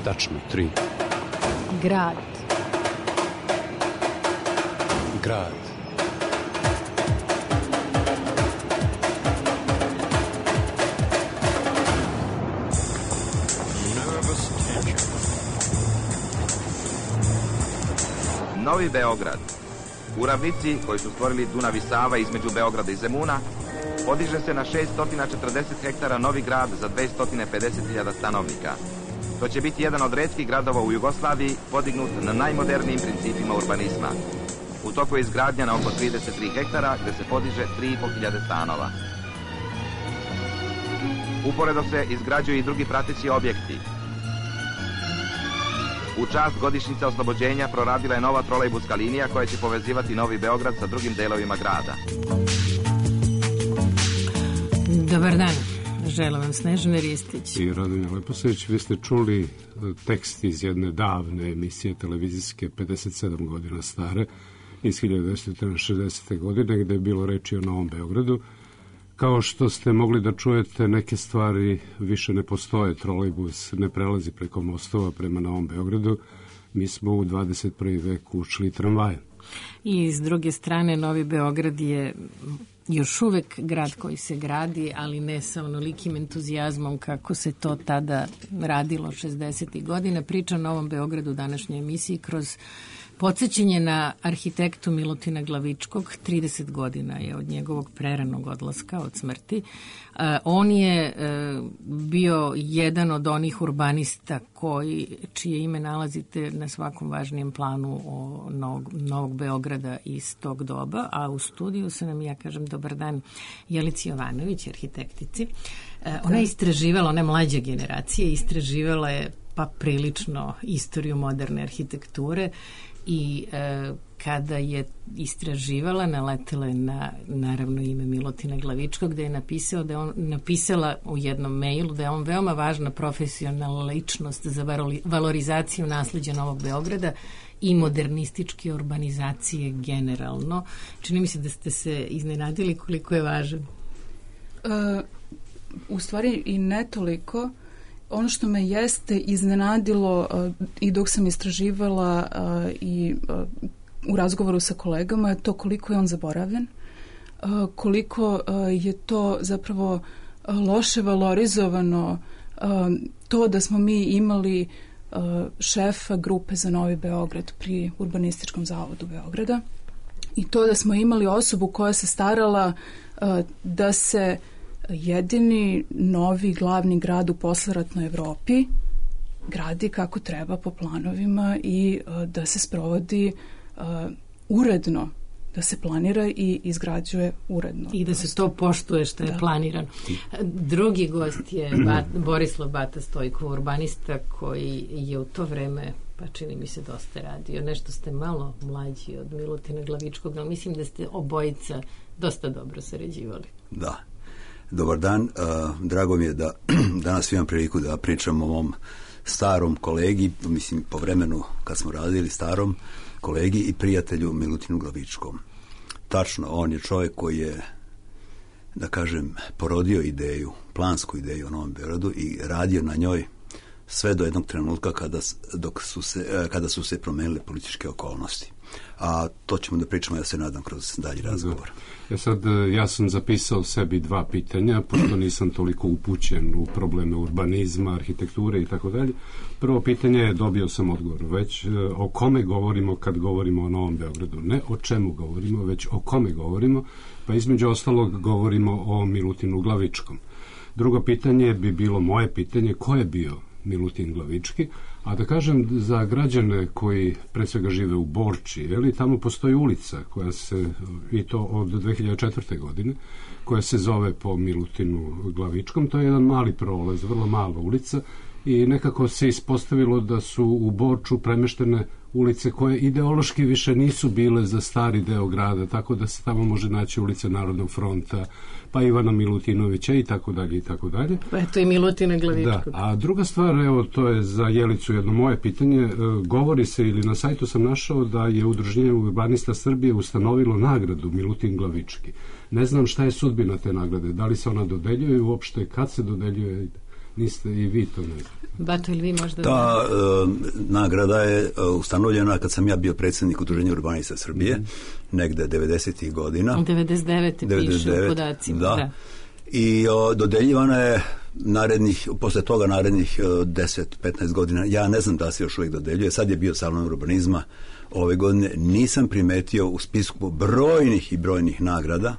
Tačno, 3. Grad. Grad. Novi Beograd. U ravnici koju su stvorili Dunav i Sava između Beograda i Zemuna, podiže se na 640 hektara novi grad za 250.000 stanovnika. To će biti jedan od retkih gradova u Jugoslaviji podignut na najmodernijim principima urbanizma. U toku je izgradnja na oko 33 hektara gde se podiže 3.500 stanova. Uporedo se izgrađuju i drugi prateći objekti. U čast godišnjice oslobođenja proradila je nova trolejbuska linija koja će povezivati Novi Beograd sa drugim delovima grada. Dobar dan. Želim vam Snežana Ristić. I Radonja Leposavić, vi ste čuli tekst iz jedne davne emisije televizijske 57 godina stare iz 1960. godine gde je bilo reči o Novom Beogradu. Kao što ste mogli da čujete, neke stvari više ne postoje, trolejbus ne prelazi preko mostova prema Novom Beogradu, mi smo u 21. veku ušli tramvajem. I s druge strane, Novi Beograd je još uvek grad koji se gradi, ali ne sa onolikim entuzijazmom kako se to tada radilo 60. godina. Priča o Novom Beogradu u današnjoj emisiji kroz podsjećanje na arhitektu Milutina Glavičkog. 30 godina je od njegovog preranog odlaska, od smrti. On je bio jedan od onih urbanista čije ime nalazite na svakom važnijem planu Novog Beograda iz tog doba, a u studiju se nam, ja kažem, dobar dan, Jelici Jovanović, arhitektici. Ona je istraživala, ona je mlađa generacija, istraživala je pa prilično istoriju moderne arhitekture i kada je istraživala, naletela je na naravno ime Milutina Glavičkog, gde je napisala u jednom mailu da je on veoma važna profesionalna ličnost za valorizaciju nasleđa Novog Beograda i modernističke urbanizacije generalno. Čini mi se da ste se iznenadili koliko je važan. U stvari i ne toliko. Ono što me jeste iznenadilo i dok sam istraživala i u razgovoru sa kolegama je to koliko je on zaboravljen, koliko je to zapravo loše valorizovano, to da smo mi imali šefa grupe za Novi Beograd pri Urbanističkom zavodu Beograda i to da smo imali osobu koja se starala da se jedini novi glavni grad u posleratnoj Evropi gradi kako treba po planovima i da se sprovodi uredno, da se planira i izgrađuje uredno. I da se to poštuje što je planirano. Drugi gost je Borislav Bata Stojko, urbanista koji je u to vreme, pa čini mi se, dosta radio. Nešto ste malo mlađi od Milutina Glavičkog, ali mislim da ste obojica dosta dobro sarađivali. Da. Dobar dan, drago mi je da danas imam priliku da pričam o mom starom kolegi, mislim po vremenu kad smo radili, starom kolegi i prijatelju Milutinu Glavičkom. Tačno, on je čovjek koji je, da kažem, porodio ideju, plansku ideju o Novom Beogradu i radio na njoj sve do jednog trenutka kada su se promenile političke okolnosti. A to ćemo da pričamo, ja se nadam, kroz dalji razgovor. Ja sam zapisao sebi 2 pitanja, pošto nisam toliko upućen u probleme urbanizma, arhitekture i tako dalje. Prvo pitanje je, dobio sam odgovor, već o kome govorimo kad govorimo o Novom Beogradu. Ne o čemu govorimo, već o kome govorimo, pa između ostalog govorimo o Milutinu Glavičkom. Drugo pitanje bi bilo moje pitanje, ko je bio Milutin Glavički, a da kažem za građane koji pre svega žive u Borči, tamo postoji ulica koja se, i to od 2004. godine, koja se zove po Milutinu Glavičkom. To je jedan mali prolaz, vrlo mala ulica i nekako se ispostavilo da su u Borču premeštene ulice koje ideološki više nisu bile za stari deo grada, tako da se tamo može naći ulica Narodnog fronta, pa Ivana Milutinovića i tako dalje i tako dalje. Pa eto i Milutina Glavičkog. Da, a druga stvar, evo, to je za Jelicu jedno moje pitanje, govori se ili na sajtu sam našao da je Udruženje urbanista Srbije ustanovilo nagradu Milutin Glavički. Ne znam šta je sudbina te nagrade, da li se ona dodeljuje uopšte, kad se dodeljuje, niste i vi to ne znate. Bato, ili vi možda... Ta nagrada je ustanovljena kad sam ja bio predsjednik Udruženja urbanista Srbije, negde 90. godina. 99. piše u podacima. Da. I dodeljivana je posle toga narednih 10-15 godina. Ja ne znam da se još uvijek dodeljuje. Sad je bio salon urbanizma ove godine. Nisam primetio u spisku brojnih nagrada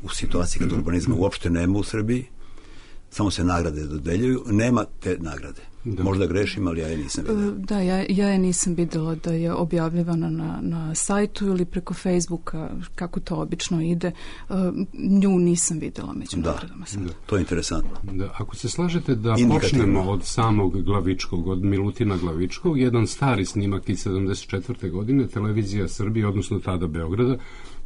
u situaciji kad urbanizma uopšte nema u Srbiji. Samo se nagrade dodeljuju. Nema te nagrade. Da. Možda grešim, ali ja je nisam vidjela. Da, ja je nisam vidjela da je objavljivana na sajtu ili preko Facebooka, kako to obično ide. Nju nisam vidjela među nagradama. Da, to je interesantno. Da, ako se slažete da počnemo od samog Glavičkog, od Milutina Glavičkog, jedan stari snimak iz 74. godine, Televizija Srbije, odnosno tada Beograda,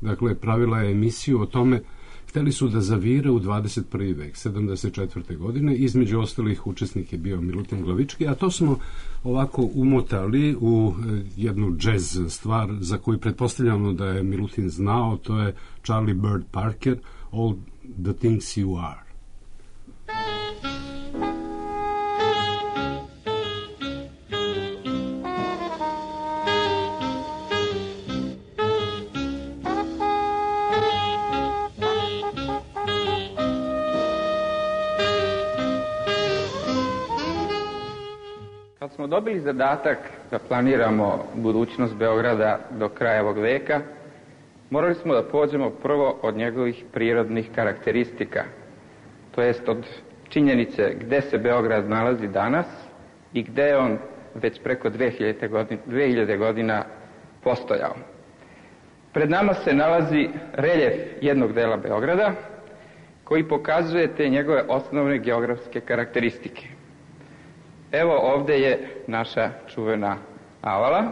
dakle, pravila je emisiju o tome. Hteli su da zavire u 21. vek, 74. godine. Između ostalih učesnik je bio Milutin Glavički, a to smo ovako umotali u jednu džez stvar za koju pretpostavljamo da je Milutin znao, to je Charlie Bird Parker, All the Things You Are. Kad smo dobili zadatak da planiramo budućnost Beograda do kraja ovog veka, morali smo da pođemo prvo od njegovih prirodnih karakteristika, to jest od činjenice gde se Beograd nalazi danas i gde je on već preko 2000 godina postojao. Pred nama se nalazi reljef jednog dela Beograda koji pokazuje te njegove osnovne geografske karakteristike. Evo ovde je naša čuvena Avala,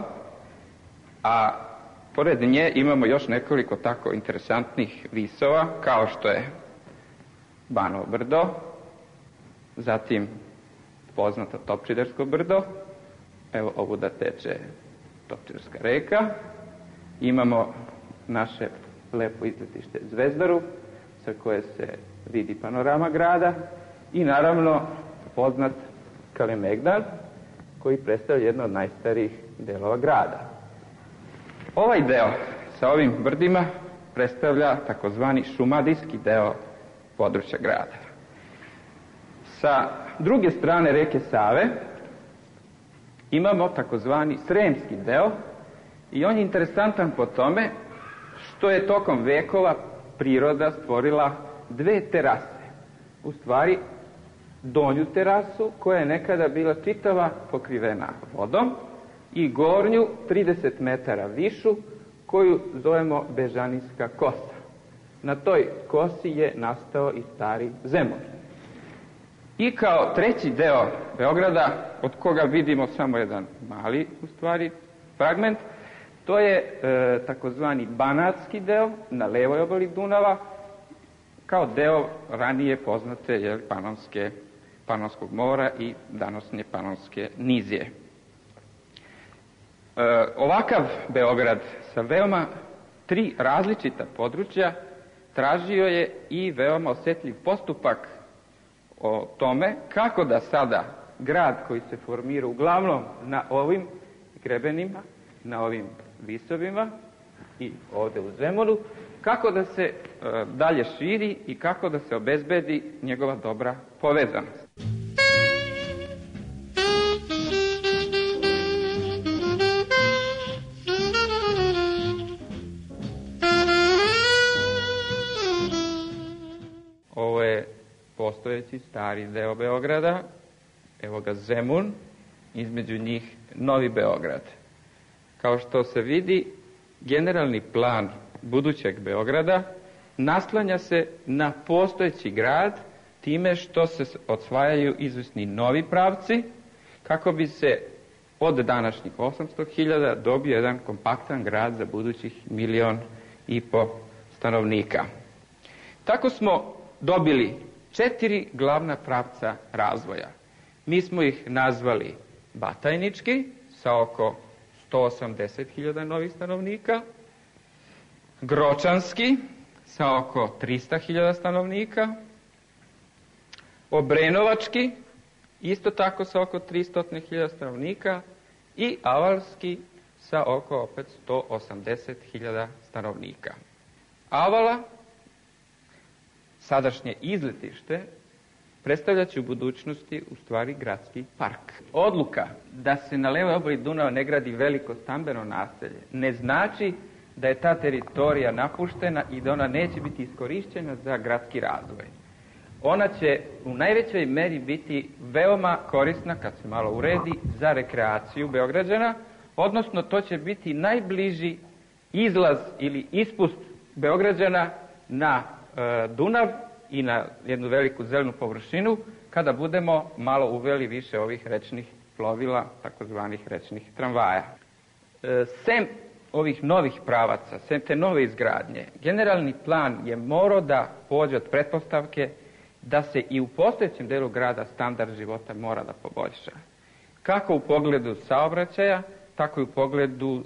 a pored nje imamo još nekoliko tako interesantnih visova, kao što je Banovo brdo, zatim poznato Topčidersko brdo, evo ovuda teče Topčiderska reka, imamo naše lepo izletište Zvezdaru, sa koje se vidi panorama grada i naravno poznat Kalemegdan, koji predstavlja jedno od najstarijih delova grada. Ovaj deo sa ovim brdima predstavlja takozvani šumadijski deo područja grada. Sa druge strane reke Save imamo takozvani sremski deo i on je interesantan po tome što je tokom vekova priroda stvorila dve terase. U stvari, donju terasu koja je nekada bila čitava pokrivena vodom i gornju 30 metara višu koju zovemo Bežanijska kosa. Na toj kosi je nastao i stari Zemun. I kao treći deo Beograda, od koga vidimo samo jedan mali, u stvari, fragment, to je takozvani banatski deo na levoj obali Dunava, kao deo ranije poznate Panonskog mora i današnje Panonske nizije. Ovakav Beograd sa veoma tri različita područja tražio je i veoma osetljiv postupak o tome kako da sada grad koji se formira uglavnom na ovim grebenima, na ovim visovima i ovde u Zemunu, kako da se dalje širi i kako da se obezbedi njegova dobra povezanost. Ovo je postojeći stari deo Beograda, evo ga Zemun, između njih Novi Beograd. Kao što se vidi, generalni plan budućeg Beograda naslanja se na postojeći grad time što se osvajaju izvesni novi pravci kako bi se od današnjih 800.000 dobio jedan kompaktan grad za budućih 1,5 miliona stanovnika. Tako smo dobili 4 glavna pravca razvoja. Mi smo ih nazvali Batajnički sa oko 180.000 novih stanovnika, Gročanski sa oko 300.000 stanovnika, Obrenovački, isto tako sa oko 300.000 stanovnika, i Avalski sa oko opet 180.000 stanovnika. Avala, sadašnje izletište, predstavljaće u budućnosti u stvari gradski park. Odluka da se na levoj obali Dunava ne gradi veliko stambeno naselje ne znači da je ta teritorija napuštena i da ona neće biti iskorišćena za gradski razvoj. Ona će u najvećoj meri biti veoma korisna, kad se malo uredi, za rekreaciju Beograđana, odnosno to će biti najbliži izlaz ili ispust Beograđana na Dunav i na jednu veliku zelenu površinu, kada budemo malo uveli više ovih rečnih plovila, takozvanih rečnih tramvaja. Sem ovih novih pravaca, sem te nove izgradnje, generalni plan je morao da pođe od pretpostavke da se i u postojećem delu grada standard života mora da poboljša. Kako u pogledu saobraćaja, tako i u pogledu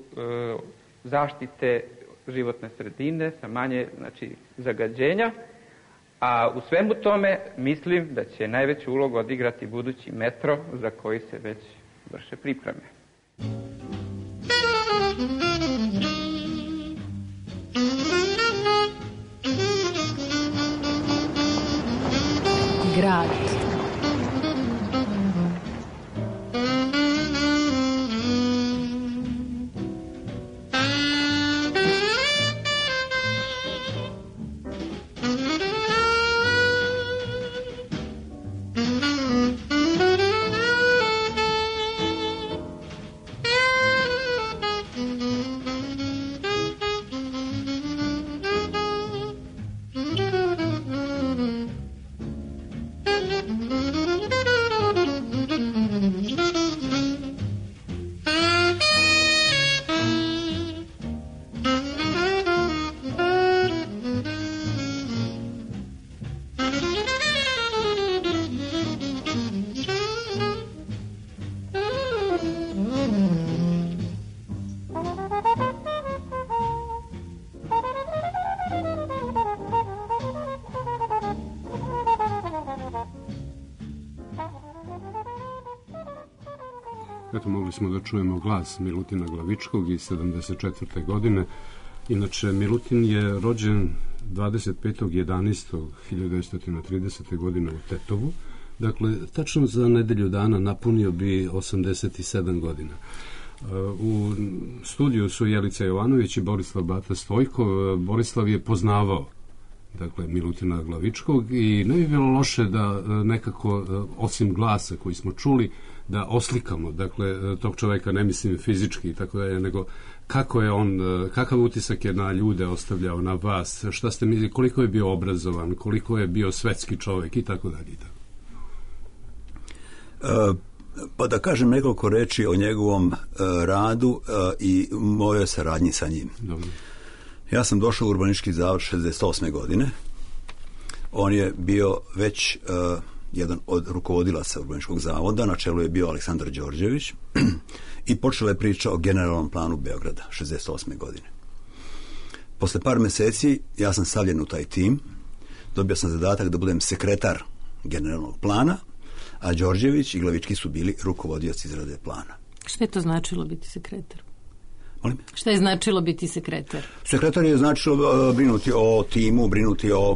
zaštite životne sredine sa manje zagađenja, a u svemu tome mislim da će najveću ulogu odigrati budući metro za koji se već vrše pripreme. Grad. Eto, mogli smo da čujemo glas Milutina Glavičkog iz 74. godine. Inače, Milutin je rođen 25.11.1930. godine u Tetovu. Dakle, tačno za nedelju dana napunio bi 87 godina. U studiju su Jelica Jovanović i Borislav Bata Stojko. Borislav je poznavao Milutina Glavičkog i ne bi bilo loše da nekako, osim glasa koji smo čuli, da oslikamo, tog čoveka, ne mislim fizički i tako dalje, nego kako je on, kakav utisak je na ljude ostavljao, na vas, šta ste mislili, koliko je bio obrazovan, koliko je bio svetski čovek i tako dalje. Pa da kažem nekoliko reči o njegovom radu i mojoj saradnji sa njim. Dobro. Ja sam došao u Urbanistički zavod 68. godine. On je bio već jedan od rukovodilaca Urbanističkog zavoda, na čelu je bio Aleksandar Đorđević i počela je priča o generalnom planu Beograda 68. godine. Posle par meseci ja sam stavljen u taj tim, dobio sam zadatak da budem sekretar generalnog plana, a Đorđević i Glavički su bili rukovodioci izrade plana. Šta je to značilo biti sekretar? Molim? Šta je značilo biti sekretar? Sekretar je značilo brinuti o timu, brinuti o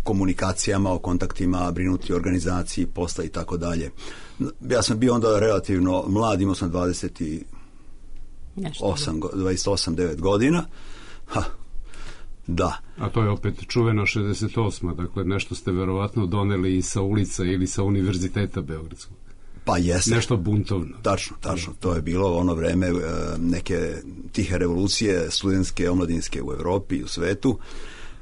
komunikacijama, o kontaktima, brinuti o organizaciji posla i tako dalje. Ja sam bio onda relativno mlad, imao sam 28-9 godina. Da. A to je opet čuvena 68. Dakle, nešto ste verovatno doneli i sa ulica ili sa Univerziteta Beogradskog. Pa jeste. Nešto buntovno. Tačno. To je bilo ono vreme neke tihe revolucije studentske, omladinske u Evropi i u svetu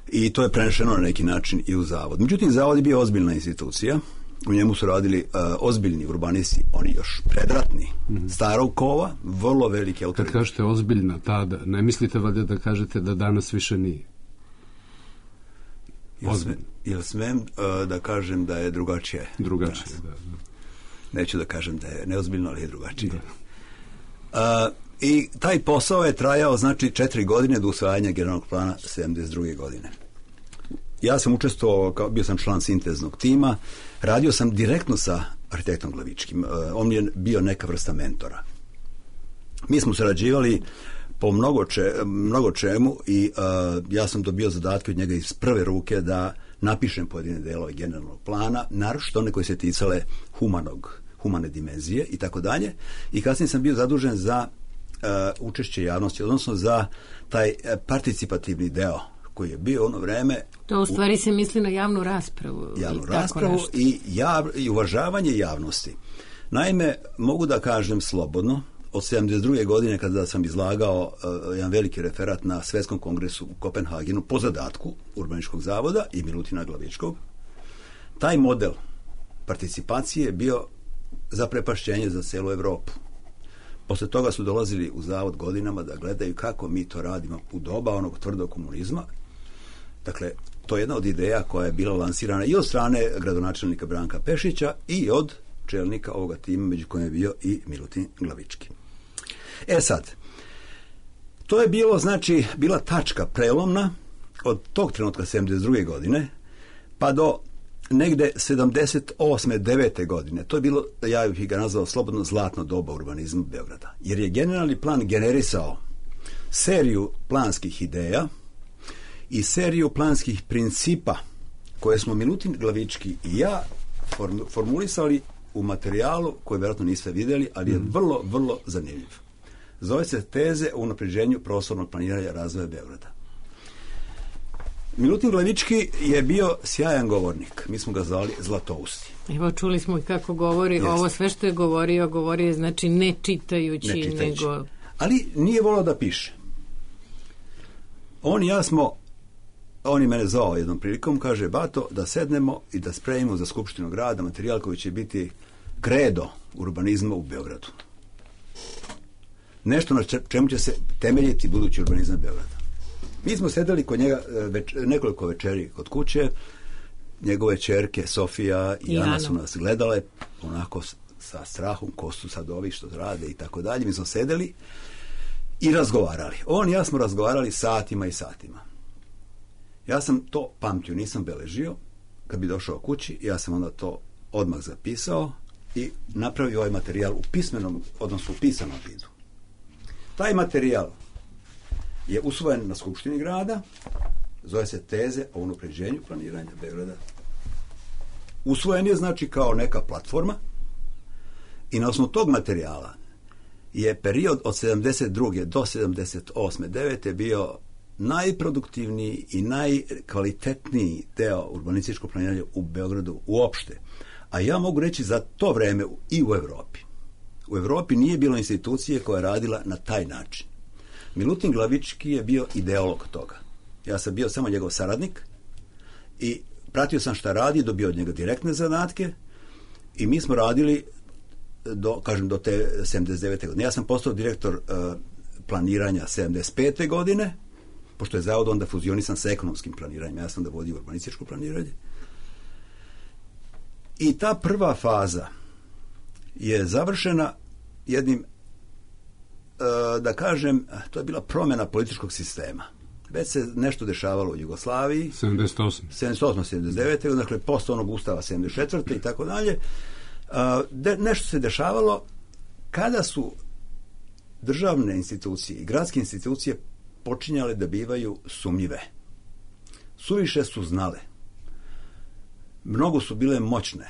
i to je prenešeno na neki način i u zavod. Međutim, zavod je bio ozbiljna institucija. U njemu su radili ozbiljni urbanisti, oni još predratni, starog kova, vrlo veliki autoritet. Kad kažete ozbiljna tada, ne mislite valjda da kažete da danas više nije? Ili smem da kažem da je drugačije? Drugačije, da. Neću da kažem da je neozbiljno, ali je drugačije. I taj posao je trajao, 4 godine do usvajanja generalnog plana 72. godine. ja sam učestvovao, bio sam član sinteznog tima, radio sam direktno sa arhitektom Glavičkim. On je bio neka vrsta mentora. Mi smo sarađivali po mnogo čemu i ja sam dobio zadatke od njega iz prve ruke da napišem pojedine delove generalnog plana, naročito one koje se ticale humane dimenzije i tako dalje. I kasnije sam bio zadužen za učešće javnosti, odnosno za taj participativni deo koji je bio ono vreme. To u stvari se misli na javnu raspravu. Javnu raspravu i uvažavanje javnosti. Naime, mogu da kažem slobodno, od 72. godine kada sam izlagao jedan veliki referat na Svetskom kongresu u Kopenhagenu po zadatku Urbanističkog zavoda i Milutina Glavičkog, taj model participacije je bio zaprepašćenje za celu Evropu. Posle toga su dolazili u zavod godinama da gledaju kako mi to radimo u doba onog tvrdog komunizma. Dakle, to je jedna od ideja koja je bila lansirana i od strane gradonačelnika Branka Pešića i od čelnika ovoga tima, među kojim je bio i Milutin Glavički. Sad, to je bilo, znači, bila tačka prelomna od tog trenutka 72. godine pa do negde 78. 9. godine. To je bilo, ja bih ga nazvao slobodno zlatno doba urbanizma Beograda. Jer je generalni plan generisao seriju planskih ideja i seriju planskih principa koje smo Milutin Glavički i ja formulisali u materijalu koji vjerojatno niste vidjeli, ali je vrlo, vrlo zanimljiv. Zove se Teze o unapređenju prostornog planiranja razvoja Beograda. Milutin Glavički je bio sjajan govornik. Mi smo ga zvali Zlatousti. Evo, čuli smo i kako govori. Jeste. Ovo sve što je govorio je znači ne čitajući. Nego... Ali nije volao da piše. On je mene zvao jednom prilikom, kaže, Bato, da sednemo i da spremimo za Skupštinu grada materijal koji će biti kredo urbanizma u Beogradu. Nešto na čemu će se temeljiti budući urbanizam Beograda. Mi smo sedeli kod njega nekoliko večeri kod kuće, njegove ćerke Sofija i Ana su nas gledale onako sa strahom, ko su sad ovi što rade i tako dalje. Mi smo sedeli i razgovarali. On i ja smo razgovarali satima i satima. Ja sam to pamtio, nisam beležio. Kad bi došao kući, ja sam onda to odmah zapisao i napravio ovaj materijal u pismenom, odnosno u pisanom vidu. Taj materijal je usvojen na Skupštini grada, zove se Teze o unapređenju planiranja Beograda. Usvojen je, znači, kao neka platforma i na osnovu tog materijala je period od 72. do 78. 9. bio najproduktivniji i najkvalitetniji deo urbanističkog planiranja u Beogradu uopšte. A ja mogu reći za to vreme i u Evropi. U Evropi nije bilo institucije koja je radila na taj način. Milutin Glavički je bio ideolog toga. Ja sam bio samo njegov saradnik i pratio sam šta radi, dobio od njega direktne zadatke i mi smo radili do te 79. godine. Ja sam postao direktor planiranja 75. godine, pošto je zavod onda fuzionisan sa ekonomskim planiranjem. Ja sam da vodio urbanističko planiranje. I ta prva faza je završena jednim, da kažem, to je bila promjena političkog sistema. Već se nešto dešavalo u Jugoslaviji. 78. 79. Dakle, posle onog ustava 74. i tako dalje. Nešto se dešavalo kada su državne institucije i gradske institucije počinjale da bivaju sumnjive. Suviše su znale. Mnogo su bile moćne.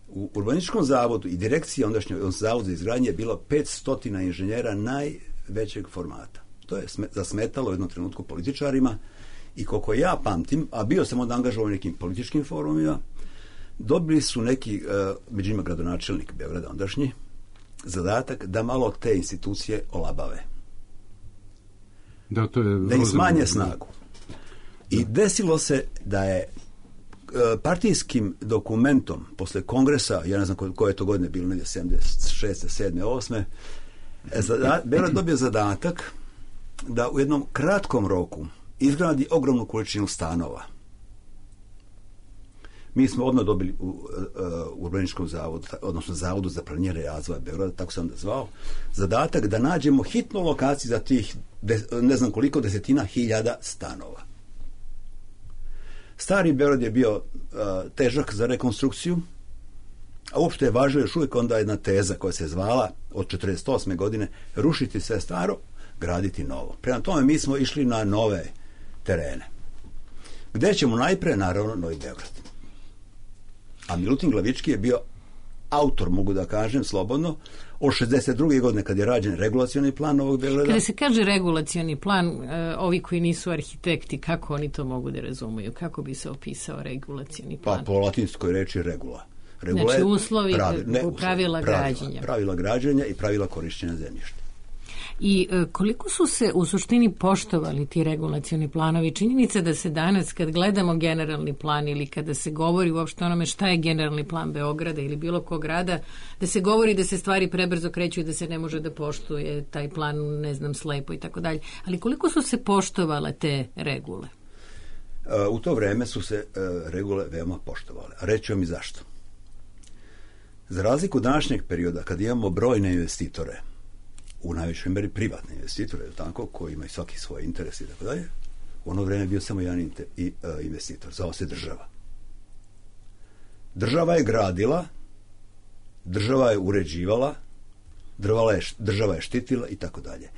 U urbanističkom zavodu i direkciji ondašnjoj zavodu za izgradnje je bilo 500 inženjera najvećeg formata. To je zasmetalo u jednom trenutku političarima i koliko ja pamtim, a bio sam onda angažovan u nekim političkim forumima, dobili su neki, među njima gradonačelnik Beograda ondašnji, zadatak da malo te institucije olabave. Da im smanje snagu. I desilo se da je partijskim dokumentom posle kongresa, ja ne znam koje je to godine bilo, 76. 7. 8. Beograd dobio zadatak da u jednom kratkom roku izgradi ogromnu količinu stanova. Mi smo odmah dobili u urbanističkom zavodu, odnosno zavodu za planiranje razvoja Beograda, tako se onda zvao, zadatak da nađemo hitnu lokaciju za tih ne znam koliko desetina hiljada stanova. Stari Beograd je bio težak za rekonstrukciju, a uopšte je važno još uvijek onda jedna teza koja se zvala od 1948. godine rušiti sve staro, graditi novo. Prema tome mi smo išli na nove terene. Gde ćemo najpre? Naravno, Novi Beograd. A Milutin Glavički je bio autor, mogu da kažem slobodno, od 62. godine kad je rađen regulacioni plan Novog Beograda. Kada se kaže regulacioni plan, ovi koji nisu arhitekti, kako oni to mogu da razumiju? Kako bi se opisao regulacioni plan? Pa po latinskoj reči regula. Znači uslovi, pravila građenja. Pravila građenja i pravila korišćenja zemljišta. I koliko su se u suštini poštovali ti regulacioni planovi? Činjenica da se danas kad gledamo generalni plan ili kada se govori uopšte onome šta je generalni plan Beograda ili bilo kog grada, da se govori da se stvari prebrzo kreću i da se ne može da poštuje taj plan, ne znam, slepo i tako dalje. Ali koliko su se poštovale te regule? U to vreme su se regule veoma poštovale. A reći vam i zašto. Za razliku današnjeg perioda, kad imamo brojne investitore, u najvećoj meri privatne investitore, tako, koji imaju svaki svoj interes i tako dalje, u ono vreme je bio samo jedan investitor, zvao se država. Država je gradila, država je uređivala, država je štitila i tako dalje.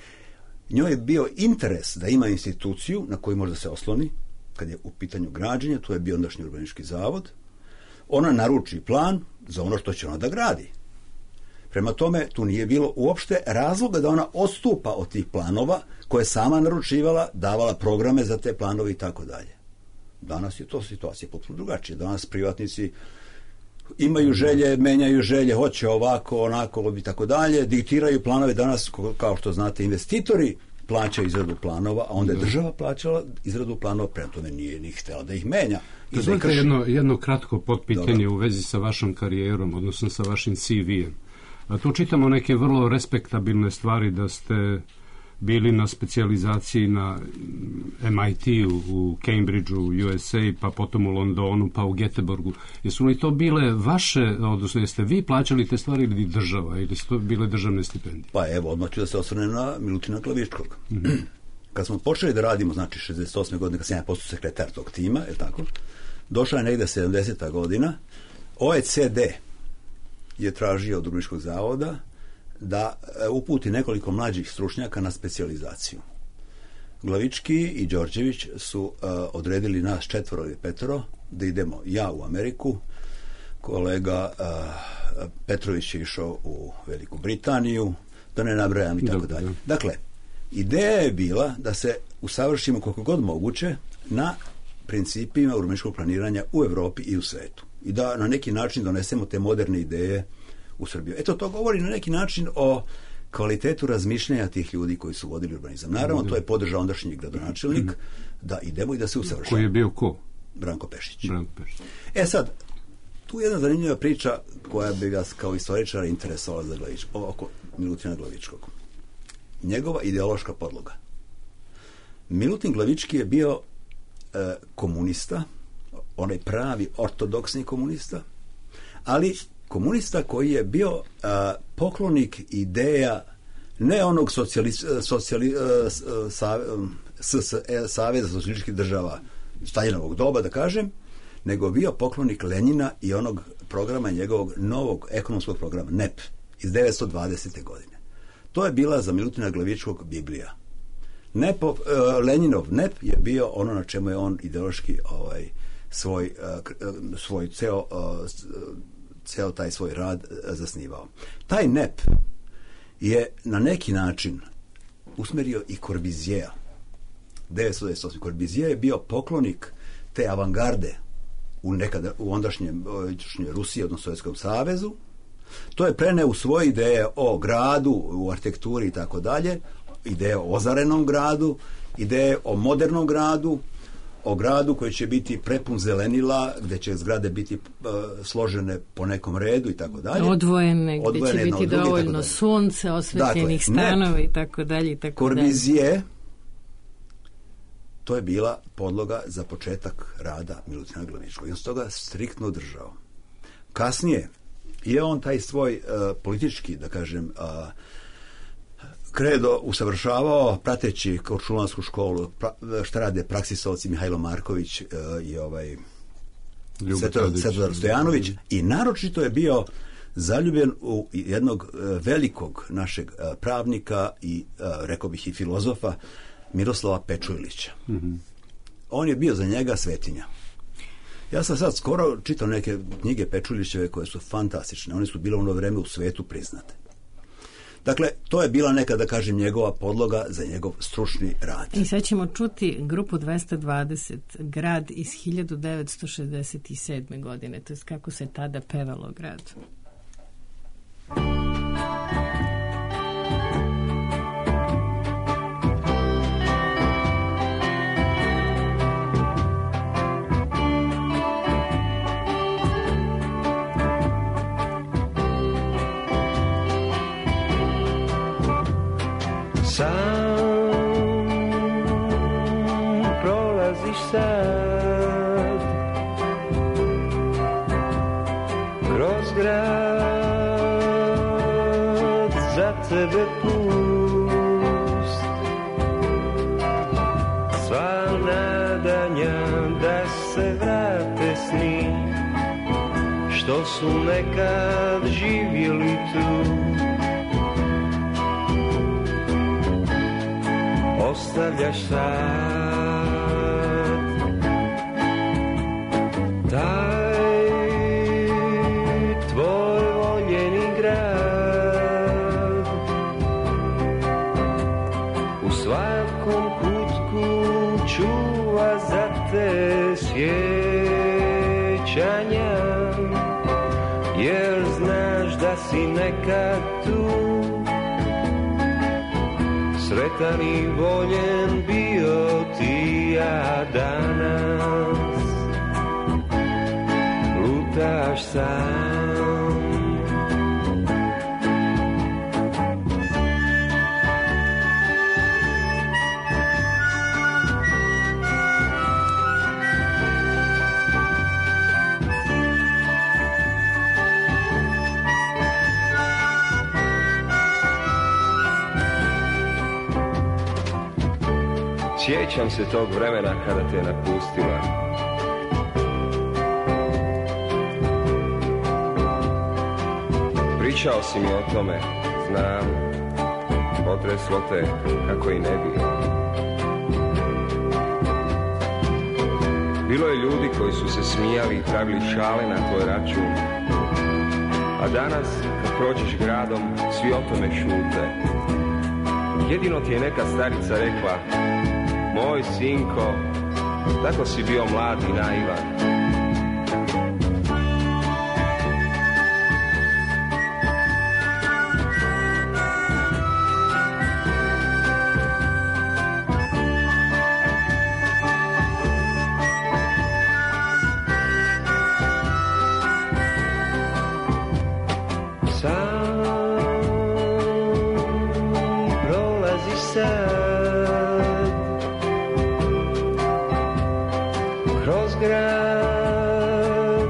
Njoj je bio interes da ima instituciju na koju može da se osloni, kad je u pitanju građenja, to je bio ondašnji urbanistički zavod, ona naruči plan za ono što će ona da gradi. Prema tome, tu nije bilo uopšte razloga da ona odstupa od tih planova koje je sama naručivala, davala programe za te planove i tako dalje. Danas je to situacija potpuno drugačija. Danas privatnici imaju želje, menjaju želje, hoće ovako, onako i tako dalje, diktiraju planove. Danas, kao što znate, investitori plaćaju izradu planova, a onda je država plaćala izradu planova, prema tome nije ni htjela da ih menja. Dozvolite jedno kratko potpitanje u vezi sa vašom karijerom, odnosno sa vašim CV-em. A tu čitamo neke vrlo respektabilne stvari, da ste bili na specijalizaciji na MIT-u, u Cambridgeu, u USA, pa potom u Londonu, pa u Göteborgu. Jesu li to bile vaše, odnosno jeste vi plaćali te stvari ili država, ili su to bile državne stipendije? Pa evo, odmah ću da se osvrnem na Milutina Glavičkog. Kad smo počeli da radimo, znači 68. godine, kad sam ja postao sekretar tog tima, je tako, došla je negde 70. godina, OECD je tražio od Urbanističkog zavoda da uputi nekoliko mlađih stručnjaka na specijalizaciju. Glavički i Đorđević su odredili nas 4 ili 5 da idemo, ja u Ameriku, kolega Petrović je išao u Veliku Britaniju, da ne nabrajam i tako dalje. Dakle, ideja je bila da se usavršimo koliko god moguće na principima urbanističkog planiranja u Evropi i u svetu. I da na neki način donesemo te moderne ideje u Srbiju. Eto, to govori na neki način o kvalitetu razmišljanja tih ljudi koji su vodili urbanizam. Naravno, to je podržao ondašnji gradonačelnik da idemo i da se usavršamo. Koji je bio ko? Branko Pešić. E sad, tu je jedna zanimljiva priča koja bi vas kao istoričara interesovala za oko Milutina Glavičkog. Njegova ideološka podloga. Milutin Glavički je bio komunista, onaj pravi ortodoksni komunista, ali komunista koji je bio poklonik ideja ne onog Saveza socijalističkih država Staljinovog doba, da kažem, nego bio poklonik Lenjina i onog programa njegovog novog ekonomskog programa NEP iz 1920. godine. To je bila za Milutina Glavičkog Biblija. Lenjinov NEP je bio ono na čemu je on ideološki svoj ceo taj svoj rad zasnivao. Taj NEP je na neki način usmerio i Corbusiera. 1928. Corbusier je bio poklonik te avangarde u ondašnjoj Rusiji, odnosno Sovjetskom savezu. To je preneo u svoje ideje o gradu, u arhitekturi i tako dalje, ideje o ozarenom gradu, ideje o modernom gradu, o gradu koji će biti prepun zelenila, gde će zgrade biti složene po nekom redu i tako dalje. Odvojene, gde će biti dovoljno sunce, osvetljenih stanova i tako dalje. Corbusier, to je bila podloga za početak rada Milutina Glavičkog. I on se toga striktno držao. Kasnije je on taj svoj politički, da kažem, kredo usavršavao, prateći Korčulansku školu, šta rade praksisovci Mihajlo Marković i Svetozar Stojanović, i naročito je bio zaljubljen u jednog velikog našeg pravnika i, rekao bih, i filozofa, Miroslava Pečujlića. Mm-hmm. On je bio za njega svetinja. Ja sam sad skoro čitao neke knjige Pečujlićeve koje su fantastične. One su bile u ono vreme u svetu priznate. Dakle, to je bila neka, da kažem, njegova podloga za njegov stručni rad. I sad ćemo čuti grupu 220, grad iz 1967. godine, to je kako se tada pevalo grad. Sam prolaziš sad kroz grad, za tebe pust, sva nadanja da se vrate sni što su nekad živjeli tu. Ostavljaš sad taj tvoj voljeni grad, u svakom kutku čuva za te sjećanja, jer znaš da si nekad tu sretan i voljen bio ti, a danas lutaš sam. Sjećam se tog vremena kada te napustila. Pričao si mi o tome, znam, potreslo te kako i ne bi. Bilo je ljudi koji su se smijali i pravili šale na tvoj račun, a danas kad prođeš gradom svi o tome šute. Jedino ti je neka starica rekla: moj sinko, tako si bio mlad i naivan. Sam prolaziš sad kroz grad,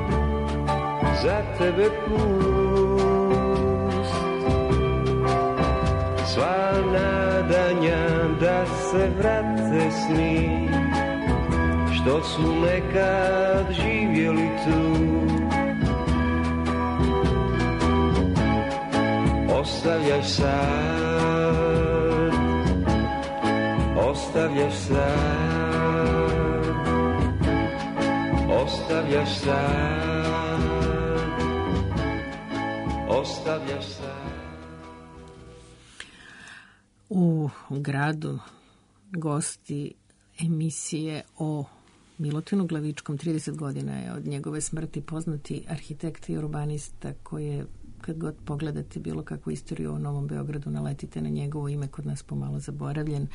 za tebe pust, sva nadanja da se vrate sni što su nekad živjeli tu. Ostavljaš sad, ostavljaš sad, ostavljaš sad, ostavljaš sad. U gradu gosti emisije o Milutinu Glavičkom. 30 godina je od njegove smrti, poznati arhitekta i urbanista koji je, kad god pogledate bilo kakvu istoriju o Novom Beogradu, naletite na njegovo ime, kod nas pomalo zaboravljen,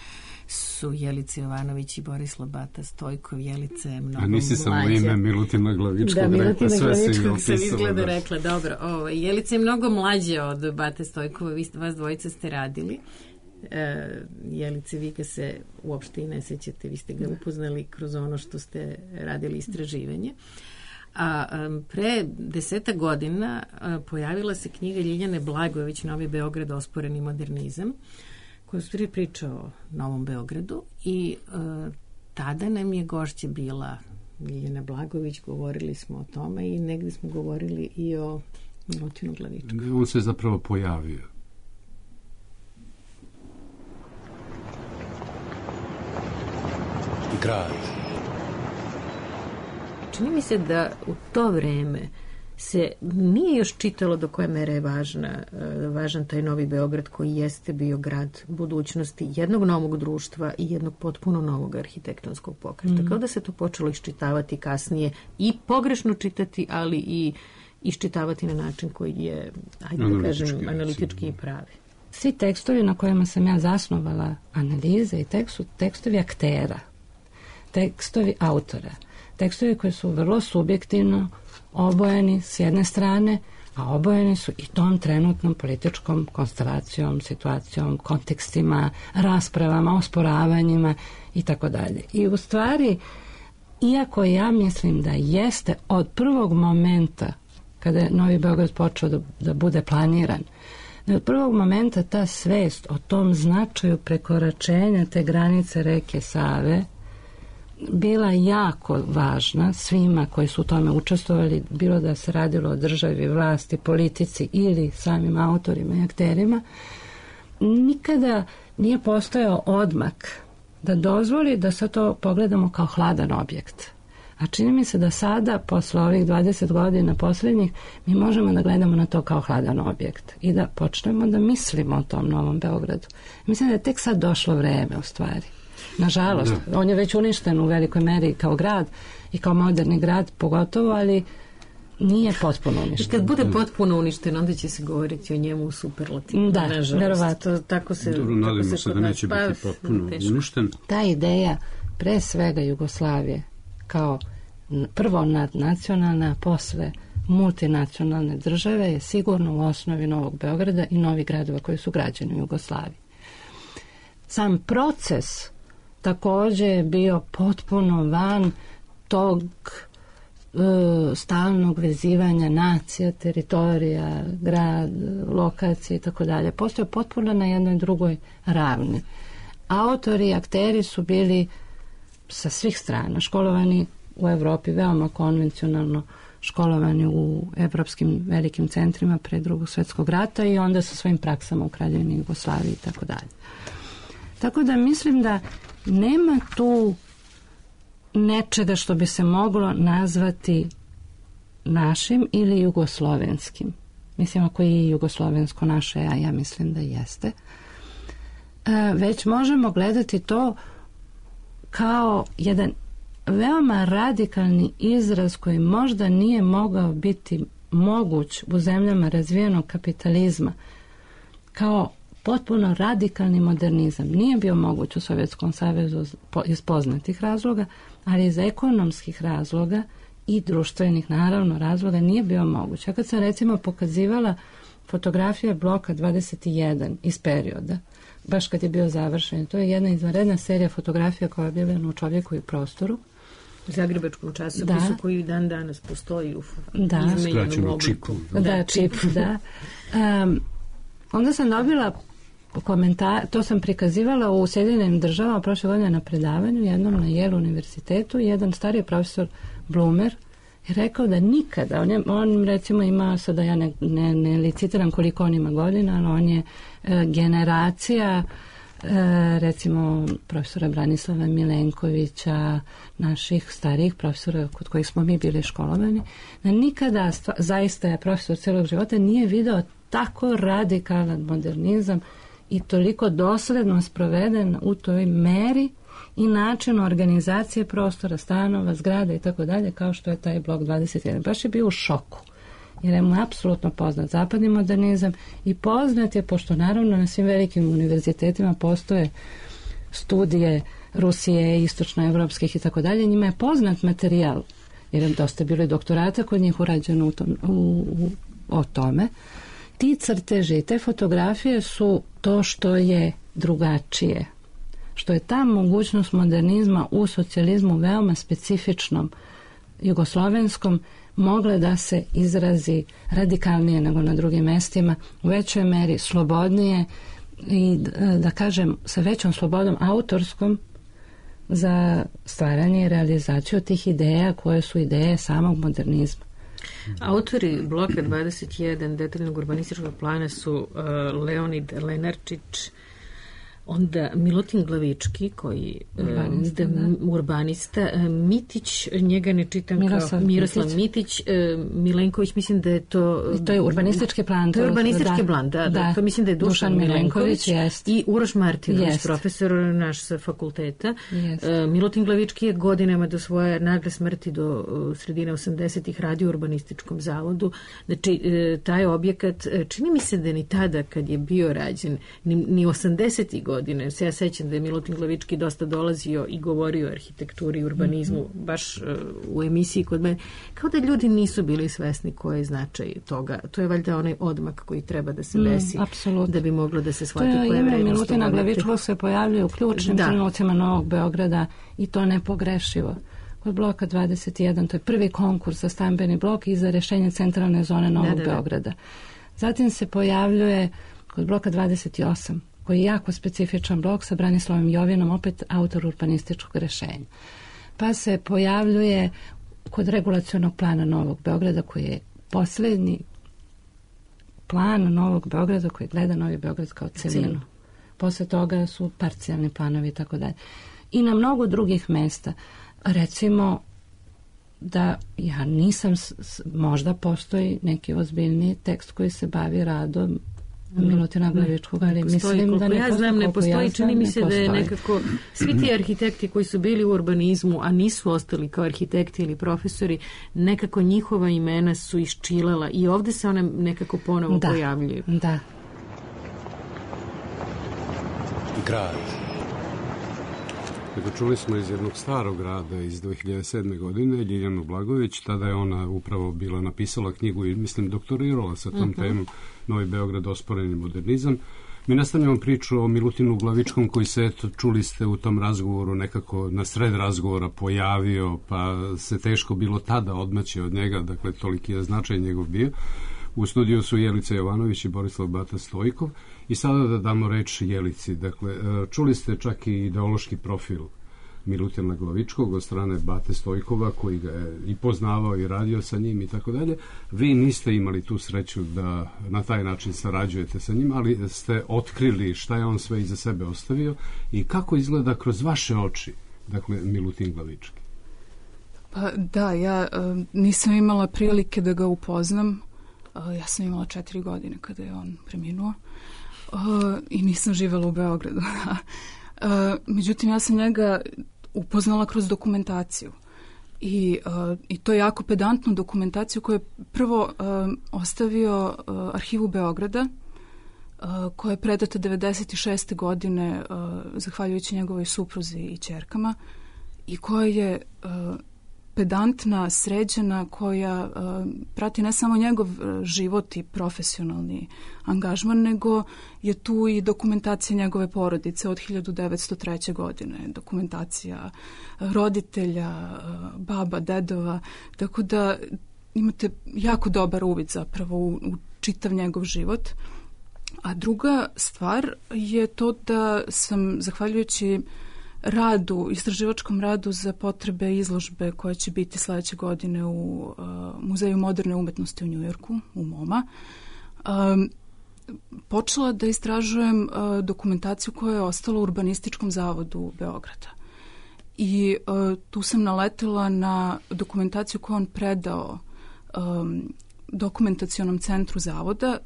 su Jelica Jovanović i Borislav Bata Stojkov. Jelica je mnogo mlađa. A nisi samo ime Milutina Glavičkog rekla, Milutina Glavičkog sam izgleda rekla. Dobro, Jelica je mnogo mlađa od Bate Stojkova, vas dvojica ste radili. Jelice, vi ga se uopšte i ne sećate, vi ste ga upoznali kroz ono što ste radili istraživanje. A pre 10 godina pojavila se knjiga Ljiljane Blagojević Novi Beograd, osporeni modernizam, koja je stvari priča o Novom Beogradu i tada nam je gošća bila Ljiljana Blagojević, govorili smo o tome i negdje smo govorili i o Milutinu Glavičku. On se zapravo pojavio. Grad. Čini mi se da u to vreme se nije još čitalo do koje mere je važan taj Novi Beograd koji jeste bio grad budućnosti jednog novog društva i jednog potpuno novog arhitektonskog pokreta. Kao da se to počelo iščitavati kasnije i pogrešno čitati, ali i iščitavati na način koji je, ajde da kažem, analitički i pravi. Svi tekstovi na kojima sam ja zasnovala analize i tekstovi aktera, tekstovi autora, tekstovi koji su vrlo subjektivno obojeni s jedne strane, a obojeni su i tom trenutnom političkom konstelacijom, situacijom, kontekstima, raspravama, osporavanjima i tako dalje. I u stvari, iako ja mislim da jeste od prvog momenta kada je Novi Beograd počeo da bude planiran, da od prvog momenta ta svest o tom značaju prekoračenja te granice reke Save bila jako važna svima koji su u tome učestvovali, bilo da se radilo o državi, vlasti, politici ili samim autorima i akterima. Nikada nije postojao odmak da dozvoli da se to pogledamo kao hladan objekt. A čini mi se da sada, posle ovih 20 godina posljednjih, mi možemo da gledamo na to kao hladan objekt i da počnemo da mislimo o tom Novom Beogradu. Mislim da je tek sad došlo vreme u stvari. Nažalost, on je već uništen u velikoj meri kao grad i kao moderni grad pogotovo, ali nije potpuno uništen. I kad bude potpuno uništen, onda će se govoriti o njemu u superlativu. Da, verovatno. Tako se nadamo se da neće biti potpuno uništen. Ta ideja, pre svega Jugoslavije, kao prvo nadnacionalna, a posle multinacionalne države, je sigurno u osnovi Novog Beograda i novih gradova koji su građeni u Jugoslaviji. Sam proces također je bio potpuno van tog stalnog vezivanja nacija, teritorija, grad, lokacije i tako dalje. Postoje potpuno na jednoj drugoj ravni. Autori i akteri su bili sa svih strana školovani u Evropi, veoma konvencionalno školovani u evropskim velikim centrima pre Drugog svjetskog rata i onda sa svojim praksama u Kraljevini Jugoslaviji i tako dalje. Tako da mislim da nema tu nečega što bi se moglo nazvati našim ili jugoslovenskim. Mislim, ako je jugoslovensko naše, a ja mislim da jeste. Već možemo gledati to kao jedan veoma radikalni izraz koji možda nije mogao biti moguć u zemljama razvijenog kapitalizma, kao potpuno radikalni modernizam. Nije bio moguć u Sovjetskom savezu iz poznatih razloga, ali iz ekonomskih razloga i društvenih, naravno, razloga nije bio moguć. Ja kad sam recimo pokazivala fotografije bloka 21 iz perioda, baš kad je bio završen, to je jedna izvanredna serija fotografija koja je objavljena u Čovjeku i prostoru, u zagrebačkom časopisu koji dan danas postoji u skraćenom čipu. Da, čip, da. Onda sam dobila komentar, to sam prikazivala u Sjedinjenim državama prošle godine na predavanju, jednom na Yale univerzitetu, jedan stariji profesor Blumer je rekao da nikada, on recimo ima, sada ja ne licitiram koliko on ima godina, ali on je generacija recimo profesora Branislava Milenkovića, naših starijih profesora kod kojih smo mi bili školovani, da nikada, zaista je profesor celog života, nije video tako radikalan modernizam i toliko dosledno sproveden u toj meri i načinu organizacije prostora, stanova, zgrada i tako dalje, kao što je taj blok 21. Baš je bio u šoku, jer je mu apsolutno poznat zapadni modernizam i poznat je, pošto naravno na svim velikim univerzitetima postoje studije Rusije, istočnoevropskih i tako dalje, njima je poznat materijal, jer je dosta bilo i doktorata kod njih urađeno o tome. Ti crteži i te fotografije su to što je drugačije, što je ta mogućnost modernizma u socijalizmu veoma specifičnom jugoslovenskom mogla da se izrazi radikalnije nego na drugim mestima, u većoj meri slobodnije i da kažem sa većom slobodom autorskom za stvaranje i realizaciju tih ideja koje su ideje samog modernizma. Autori bloka 21 detaljnog urbanističkog plana su Leonid Lenarčić, onda Milutin Glavički, koji urbanista, Mitić, njega ne čitam Miroslav Mitić, Milenković, mislim da je to... To je urbanistički plan. To je urbanistički plan, da. To mislim da je Dušan Milenković i Uroš Martinović, profesor naš sa fakulteta. Milutin Glavički je godinama do svoje nagle smrti do sredine 80-ih radio u urbanističkom zavodu. Znači, taj objekat, čini mi se da ni tada kad je bio rađen, ni 80-ih godine. Se ja sećam da je Milutin Glavički dosta dolazio i govorio o arhitekturi i urbanizmu, baš u emisiji kod mene. Kao da ljudi nisu bili svesni koji je značaj toga. To je valjda onaj odmak koji treba da se desi, da bi moglo da se shvati koja je vrednost. Milutina Glavičkog se pojavljuje u ključnim trenucima Novog Beograda i to nepogrešivo. Kod bloka 21, to je prvi konkurs za stambeni blok i za rešenje centralne zone Novog Beograda. Zatim se pojavljuje kod bloka 28, koji je jako specifičan blok sa Branislavom Jovinom, opet autor urbanističkog rešenja. Pa se pojavljuje kod regulacionog plana Novog Beograda, koji je posljednji plan Novog Beograda koji gleda Novi Beograd kao celinu. Posle toga su parcijalni planovi i tako dalje. I na mnogo drugih mesta. Recimo da ja nisam, možda postoji neki ozbiljni tekst koji se bavi radom Milutina Glavičkog, ali mislim da ne postoji. Čini mi se da je nekako svi ti arhitekti koji su bili u urbanizmu, a nisu ostali kao arhitekti ili profesori, nekako njihova imena su iščilala i ovdje se one nekako ponovo pojavljuju. Da. Grad. Dakle, čuli smo iz jednog starog grada iz 2007. godine, Ljiljanu Blagović, tada je ona upravo bila napisala knjigu i mislim doktorirala sa tom temom Novi Beograd, osporeni modernizam. Mi nastavljamo priču o Milutinu Glavičkom koji se, eto, čuli ste u tom razgovoru nekako na sred razgovora pojavio, pa se teško bilo tada odmaći od njega, dakle toliki je značaj njegov bio. U studiju su Jelica Jovanović i Borislav Bata Stojkov. I sada da damo reč Jelici. Dakle, čuli ste čak i ideološki profil Milutina Glavičkog od strane Bate Stojkova, koji ga je i poznavao i radio sa njim i tako dalje. Vi niste imali tu sreću da na taj način sarađujete sa njim, ali ste otkrili šta je on sve iza sebe ostavio i kako izgleda kroz vaše oči, dakle, Milutin Glavički. Pa da, ja nisam imala prilike da ga upoznam. Ja sam imala 4 godine kada je on preminuo. I nisam živjela u Beogradu. Međutim, ja sam njega upoznala kroz dokumentaciju. I to je jako pedantnu dokumentaciju koju je prvo ostavio Arhivu Beograda, koja je predata 96. godine zahvaljujući njegovoj supruzi i ćerkama i koja je pedantna, sređena, koja prati ne samo njegov život i profesionalni angažman, nego je tu i dokumentacija njegove porodice od 1903. godine, dokumentacija roditelja, baba, dedova, tako da imate jako dobar uvid zapravo u čitav njegov život. A druga stvar je to da sam, zahvaljujući istraživačkom radu za potrebe izložbe koja će biti sledeće godine u Muzeju moderne umetnosti u Njujorku, u MoMA, počela da istražujem dokumentaciju koja je ostala u Urbanističkom zavodu Beograda. I tu sam naletela na dokumentaciju koju on predao dokumentacionom centru zavoda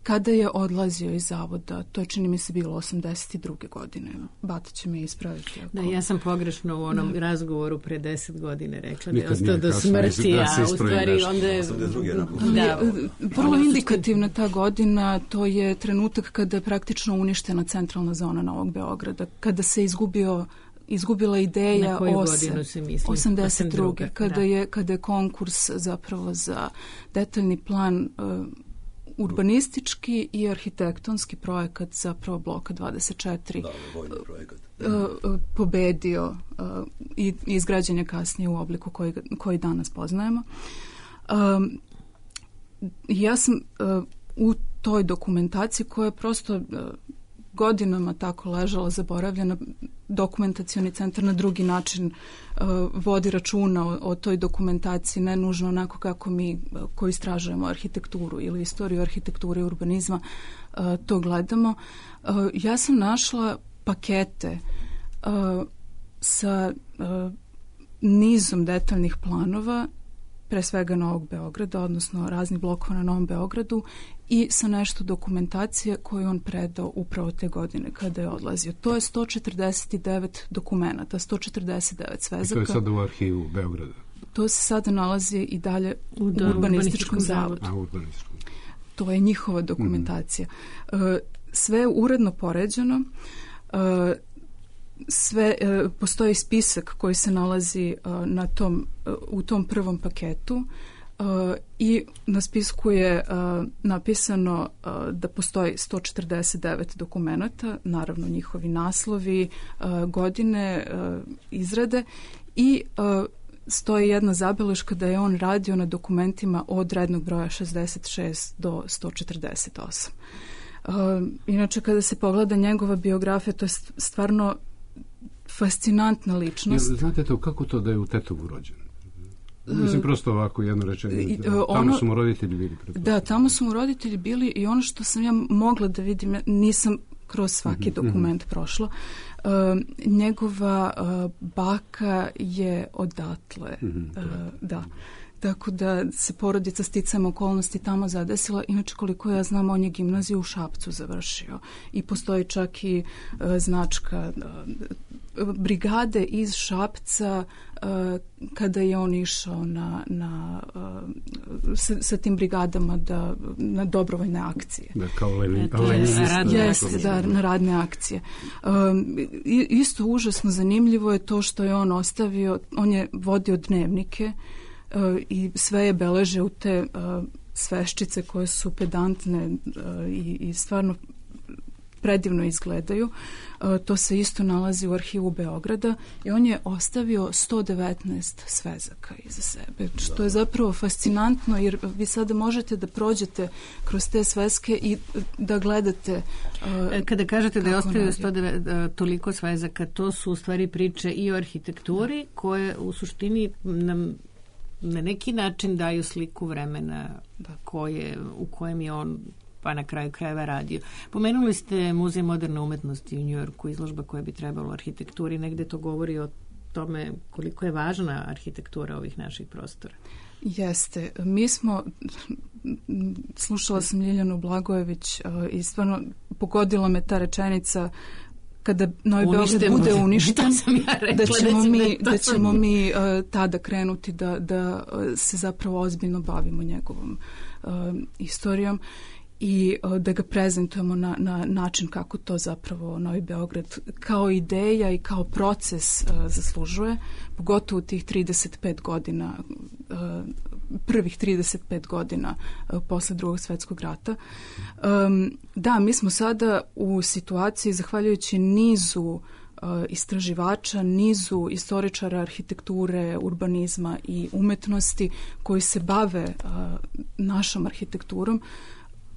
kada je odlazio iz zavoda. To je, čini mi se, bilo 82. godine. Bata će me ispraviti. Da, ja sam pogrešno u onom razgovoru pre 10 godine rekla da je ostao do smrti, a u stvari onda je... Vrlo indikativna ta godina, to je trenutak kada je praktično uništena centralna zona Novog Beograda, kada se izgubila ideja. Na koju godinu se misli? 82. Kada je konkurs zapravo za detaljni plan urbanistički i arhitektonski projekat zapravo bloka 24 pobedio i izgrađen je kasnije u obliku koji danas poznajemo. Ja sam u toj dokumentaciji koja je prosto godinama tako ležala zaboravljena. Dokumentacioni centar na drugi način vodi računa o toj dokumentaciji, ne nužno onako kako mi koji istražujemo arhitekturu ili istoriju arhitekture i urbanizma to gledamo. Ja sam našla pakete sa nizom detaljnih planova, pre svega Novog Beograda, odnosno raznih blokova na Novom Beogradu, i sa nešto dokumentacije koju on predao upravo te godine kada je odlazio. To je 149 dokumenta, 149 svezaka. I to je sada u arhivu Beograda? To se sada nalazi i dalje u Urbanističkom zavodu. To je njihova dokumentacija. Sve je uredno poređeno. Postoji spisak koji se nalazi u tom prvom paketu i na spisku je napisano da postoji 149 dokumenata, naravno njihovi naslovi, godine izrade, i stoji jedna zabeleška da je on radio na dokumentima od rednog broja 66 do 148. Inače, kada se pogleda njegova biografija, to je stvarno fascinantna ličnost. Znate to, kako to da je u Tetovu rođen? Mislim, prosto ovako jedno rečenje. Tamo su mu roditelji bili. Da, tamo su mu roditelji bili, i ono što sam ja mogla da vidim, nisam kroz svaki dokument prošla, njegova baka je odatle. Da. Tako da se porodica sticajem okolnosti tamo zadesila. Inače, koliko ja znam, on je gimnaziju u Šapcu završio. I postoji čak i značka brigade iz Šapca kada je on išao sa tim brigadama na dobrovoljne akcije. Da, kao na radne akcije. Isto užasno zanimljivo je to što je on ostavio, on je vodio dnevnike i sve je beleže u te sveščice koje su pedantne i stvarno predivno izgledaju. To se isto nalazi u arhivu Beograda i on je ostavio 119 svezaka iza sebe, što je zapravo fascinantno, jer vi sada možete da prođete kroz te sveske i da gledate. Kada kažete da je ostavio toliko svezaka, to su u stvari priče i o arhitekturi koje u suštini nam na neki način daju sliku vremena u kojem je on pa na kraju krajeva radio. Pomenuli ste Muzej moderne umetnosti u Njujorku, izložba koja bi trebala u arhitekturi, negde to govori o tome koliko je važna arhitektura ovih naših prostora. Jeste. Mi smo, slušala sam Ljiljanu Blagojević i stvarno pogodila me ta rečenica kada Novi Beograd bude uništen, da ćemo mi tada krenuti da se zapravo ozbiljno bavimo njegovom istorijom i da ga prezentujemo na način kako to zapravo Novi Beograd kao ideja i kao proces zaslužuje, pogotovo tih 35 godina, prvih 35 godina posle Drugog svjetskog rata. Da, mi smo sada u situaciji, zahvaljujući nizu istraživača, nizu istoričara arhitekture, urbanizma i umetnosti koji se bave našom arhitekturom,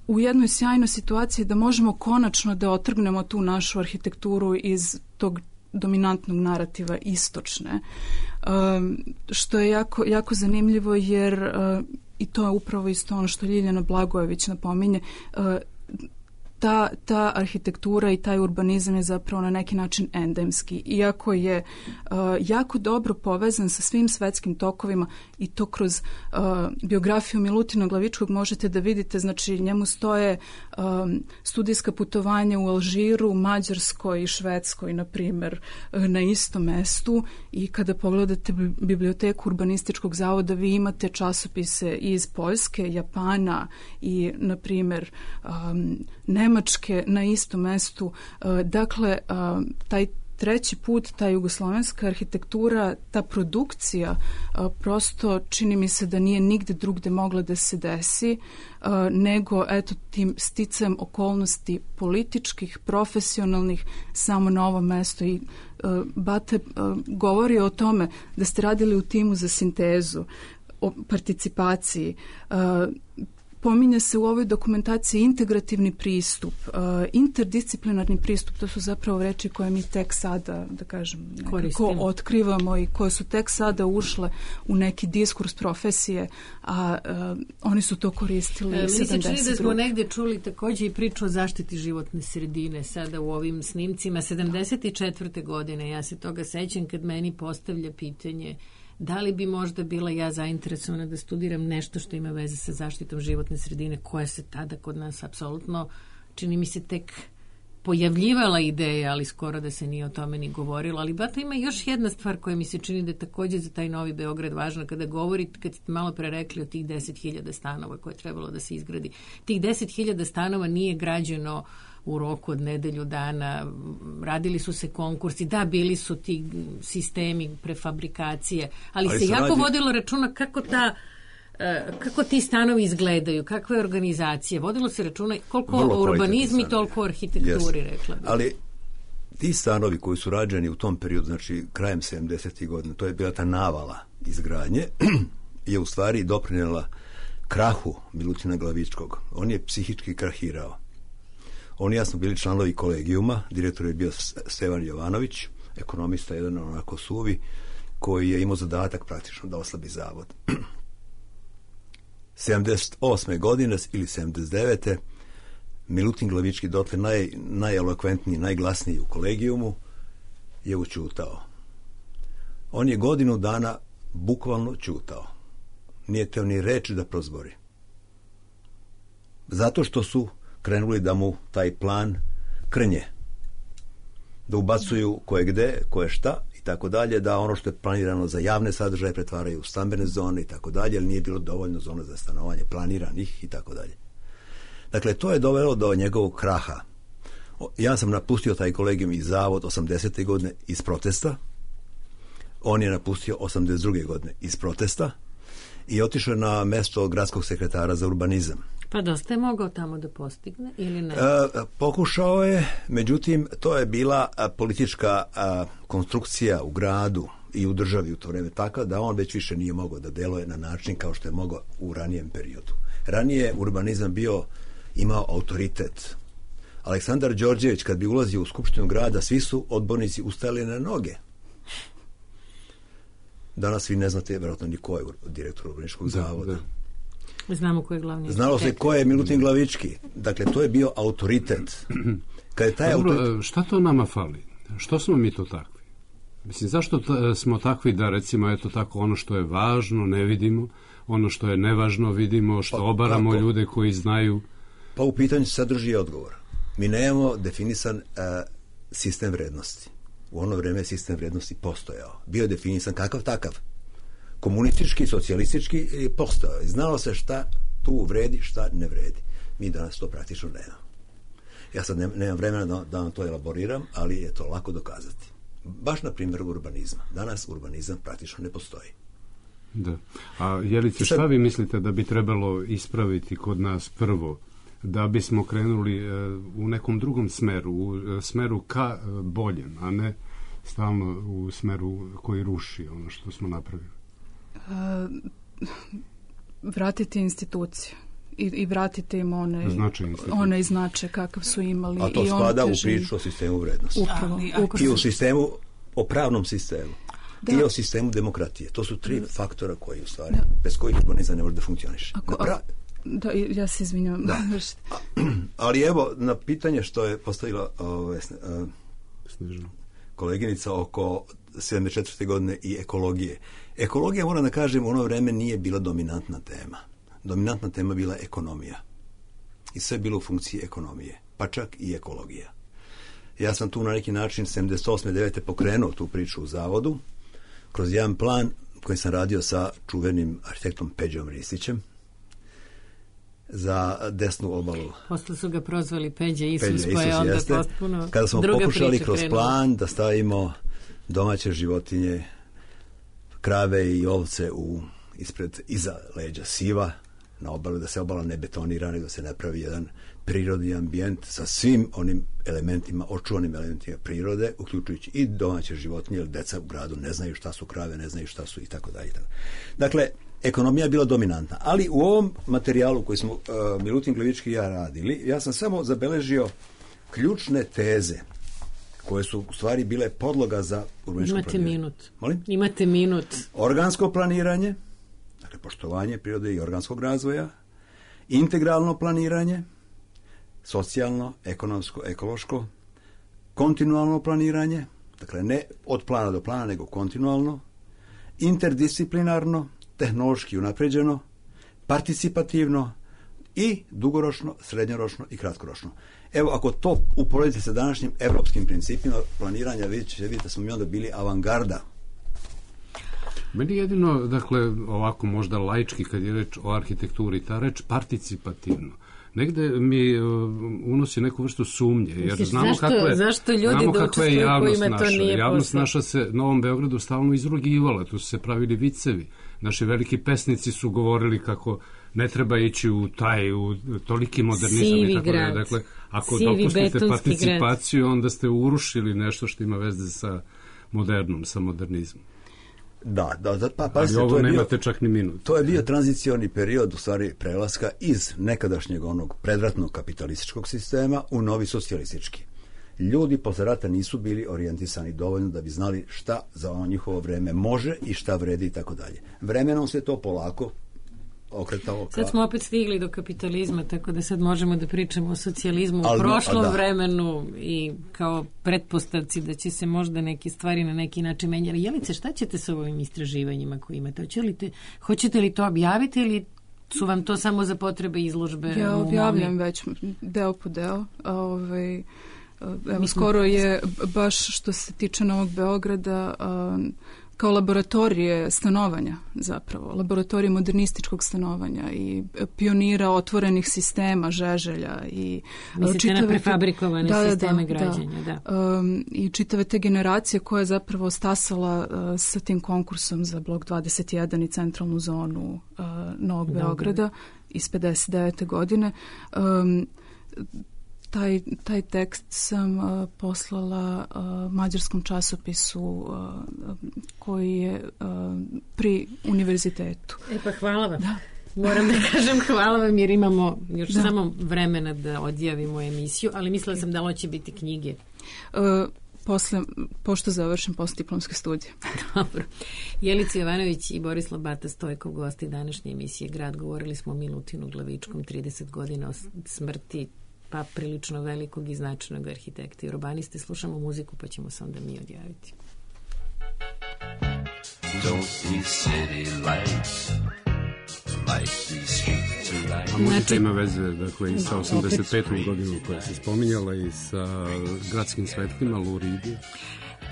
u jednoj sjajnoj situaciji da možemo konačno da otrgnemo tu našu arhitekturu iz tog dominantnog narativa istočne, što je jako, jako zanimljivo, jer i to je upravo isto ono što Ljiljana Blagojević napominje, ta arhitektura i taj urbanizam je zapravo na neki način endemski, iako je jako dobro povezan sa svim svetskim tokovima, i to kroz biografiju Milutina Glavičkog možete da vidite. Znači, njemu stoje studijska putovanja u Alžiru, Mađarskoj i Švedskoj, na primjer, na istom mestu, i kada pogledate biblioteku Urbanističkog zavoda, vi imate časopise iz Poljske, Japana i, na primjer, Nemačke na istom mestu. Dakle, taj treći put, ta jugoslovenska arhitektura, ta produkcija, prosto čini mi se da nije nigde drugde mogla da se desi, nego eto tim sticajem okolnosti političkih, profesionalnih, samo na ovom mestu. I Bate govori o tome da ste radili u timu za sintezu, o participaciji. Pominje se u ovoj dokumentaciji integrativni pristup, interdisciplinarni pristup, to su zapravo reči koje mi tek sada, da kažem, nekako otkrivamo i koje su tek sada ušle u neki diskurs profesije, a oni su to koristili 72. Mi se čini da smo negdje čuli također i priču o zaštiti životne sredine sada u ovim snimcima. 74. godine, ja se toga sećam kad meni postavlja pitanje da li bi možda bila ja zainteresovana da studiram nešto što ima veze sa zaštitom životne sredine, koja se tada kod nas apsolutno, čini mi se, tek pojavljivala ideja, ali skoro da se nije o tome ni govorilo. Ali bato ima još jedna stvar koja mi se čini da je također za taj Novi Beograd važna kada govorite, kad ste malo pre rekli o tih 10.000 stanova koje je trebalo da se izgradi. Tih 10.000 stanova nije građeno u roku od nedelju dana, radili su se konkursi, da, bili su ti sistemi prefabrikacije, ali se jako vodilo računa kako ti stanovi izgledaju, kakva je organizacija, vodilo se računa koliko o urbanizmi, toliko o arhitekturi, rekla bih. Ali ti stanovi koji su rađeni u tom periodu, znači krajem 70. godina, to je bila ta navala izgradnje, je u stvari doprinjela krahu Milutina Glavičkog. On je psihički krahirao. Oni jasno bili članovi kolegijuma, direktor je bio Stevan Jovanović, ekonomista, jedan onako suvi, koji je imao zadatak praktično da oslabi zavod. 78. godine ili 79. Milutin Glavički, dotle najelokventniji, najglasniji u kolegijumu, je učutao. On je godinu dana bukvalno čutao. Nije teo ni reći da prozbori. Zato što su krenuli da mu taj plan krnje. Da ubacuju koje gde, koje šta i tako dalje, da ono što je planirano za javne sadržaje pretvaraju u stambene zone i tako dalje, ali nije bilo dovoljno zona za stanovanje planiranih i tako dalje. Dakle, to je dovelo do njegovog kraha. Ja sam napustio taj kolegijum i zavod 80. godine iz protesta. On je napustio 82. godine iz protesta i otišao na mesto gradskog sekretara za urbanizam. Pa dosta je mogao tamo da postigne ili ne? Pokušao je, međutim, to je bila politička konstrukcija u gradu i u državi u to vreme taka da on već više nije mogao da deluje na način kao što je mogao u ranijem periodu. Ranije urbanizam imao autoritet. Aleksandar Đorđević kad bi ulazio u skupštinu grada, svi su odbornici ustajali na noge. Danas vi ne znate vjerojatno ni ko je direktor urbanističkog zavoda. Znamo ko je glavni. Znalo se ko je Milutin Glavički. Dakle, to je bio autoritet. Kad je taj šta to nama fali? Što smo mi to takvi? Mislim, zašto smo takvi da recimo eto tako ono što je važno ne vidimo, ono što je nevažno vidimo, što obaramo ljude koji znaju? Pa u pitanju sadrži odgovor. Mi nemamo definisan sistem vrednosti. U ono vreme sistem vrednosti postojao. Bio je definisan kakav takav. Komunistički, socijalistički postojao. Znalo se šta tu vredi, šta ne vredi. Mi danas to praktično nemamo. Ja sad nemam vremena da vam to elaboriram, ali je to lako dokazati. Baš na primjer urbanizma. Danas urbanizam praktično ne postoji. Da. A Jelice, šta vi mislite da bi trebalo ispraviti kod nas prvo, da bismo krenuli u nekom drugom smeru, u smeru ka boljem, a ne stalno u smeru koji ruši ono što smo napravili? Vratiti institucije i vratiti im one značaj kakav su imali. A to spada u priču o sistemu vrednosti. I u sistemu, o pravnom sistemu. Da. I o sistemu demokratije. To su tri faktora koji u stvari, bez kojih urbanizam ne može da funkcioniše. Da, ja se izvinjam. Ali evo, na pitanje što je postavila koleginica oko 74. godine i ekologije. Ekologija, moram da kažem, u ono vreme nije bila dominantna tema. Dominantna tema bila ekonomija. I sve bilo u funkciji ekonomije. Pa čak i ekologija. Ja sam tu na neki način 78. 9. pokrenuo tu priču u zavodu kroz jedan plan koji sam radio sa čuvenim arhitektom Peđom Ristićem za desnu obalu. Posle su ga prozvali Peđa Isus, pa je onda potpuno kada smo pokušali kroz plan da stavimo domaće životinje, krave i ovce iza leđa siva, na obalu, da se obala ne betonira, nego da se napravi jedan prirodni ambijent sa svim onim elementima, očuvanim elementima prirode, uključujući i domaće životinje, jer deca u gradu ne znaju šta su krave, ne znaju šta su i tako dalje. Dakle, ekonomija je bila dominantna, ali u ovom materijalu koji smo Milutin Glivički i ja radili, ja sam samo zabeležio ključne teze koje su u stvari bile podloga za urbanističko planiranje. Minut. Molim? Imate minut. Organsko planiranje, dakle poštovanje prirode i organskog razvoja, integralno planiranje, socijalno, ekonomsko, ekološko, kontinualno planiranje, dakle ne od plana do plana, nego kontinualno, interdisciplinarno, tehnološki unapređeno, participativno i dugoročno, srednjoročno i kratkoročno. Evo, ako to uporedite sa današnjim evropskim principima planiranja, vidite da smo mi onda bili avangarda. Meni jedino, dakle, ovako možda laički kad je reč o arhitekturi, ta reč participativno, negde mi unosi neku vrstu sumnje, jer znamo zašto ljudi da učestvuju kojima to nije posao? Javnost naša se Novom Beogradu stalno izrugivala, tu su se pravili vicevi. Naši veliki pesnici su govorili kako ne treba ići u toliki modernizam. Sivi i tako grad. Dakle, ako Sivi dopustite participaciju, grad. onda ste urušili nešto što ima veze sa modernom, sa modernizmom. Da, pa ali ovo nemate čak ni minut. To je bio tranzicioni period, u stvari prelaska iz nekadašnjeg onog predratnog kapitalističkog sistema u novi socijalistički. Ljudi posle rata nisu bili orijentisani dovoljno da bi znali šta za njihovo vreme može i šta vredi i tako dalje. Vremenom se to polako okretalo. Sad smo opet stigli do kapitalizma, tako da sad možemo da pričamo o socijalizmu u prošlom vremenu i kao pretpostavci da će se možda neke stvari na neki način menjati. Jelice, šta ćete sa ovim istraživanjima koje imate? Hoćete li to objaviti ili su vam to samo za potrebe izložbe? Ja objavljam već deo po deo. Evo, skoro je, baš što se tiče Novog Beograda, kao laboratorije stanovanja zapravo, laboratorije modernističkog stanovanja i pionira otvorenih sistema, Žeželja i mislite na prefabrikovane sisteme građenja. I čitave te generacije koja je zapravo stasala sa tim konkursom za blok 21 i centralnu zonu Novog Beograda iz 59. godine. Taj tekst sam poslala mađarskom časopisu koji je pri univerzitetu. Pa hvala vam. Da. Moram da kažem hvala vam jer imamo još samo vremena da odjavimo emisiju, ali mislila sam da ovo će biti knjige. Pošto završim postdiplomske studije. Dobro. Jelica Jovanović i Borislav Bata Stojkov, gosti današnje emisije Grad. Govorili smo o Milutinu Glavičkom, 30 godina o smrti pa prilično velikog i značajnog arhitekta i urbaniste. Slušamo muziku pa ćemo se onda mi odjaviti. A muzika ima veze, dakle, i sa 85. godinom koja se spominjala i sa gradskim svetlima, Luridi.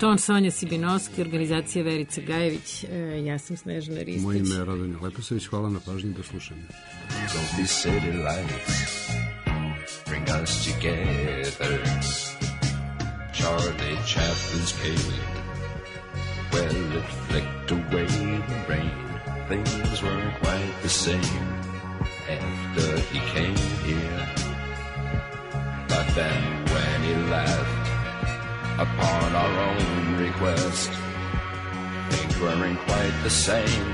Ton Sonja Sibinovski, organizacija Verica Gajević, ja sam Snežana Ristić. Moje ime je Radomir Leposavić, hvala na pažnji, do slušanja. Don't be city lights, bring us together. Charlie Chaplin's cave, well, it flicked away the rain. Things weren't quite the same after he came here. But then when he left, upon our own request, things weren't quite the same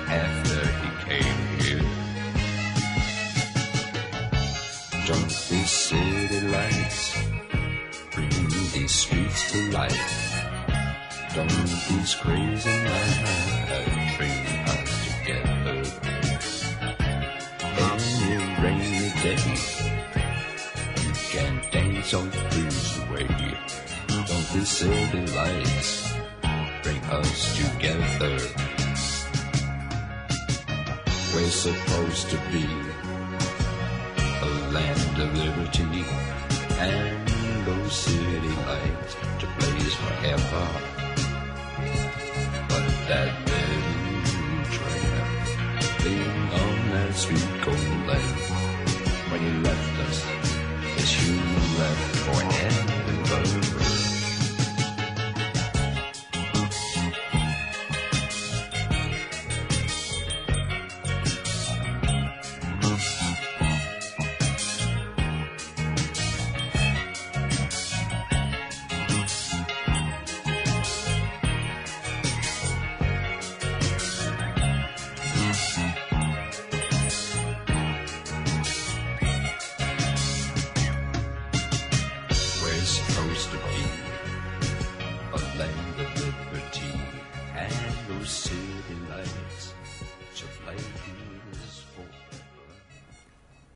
after he came here. Don't these city lights bring these streets to life? Don't these crazy nights bring us together? Any rainy day, you can dance on blues away. Don't these city lights bring us together? We're supposed to be a land of liberty, and those city lights to blaze forever. But that little tramp being on that sweet gold land when he left us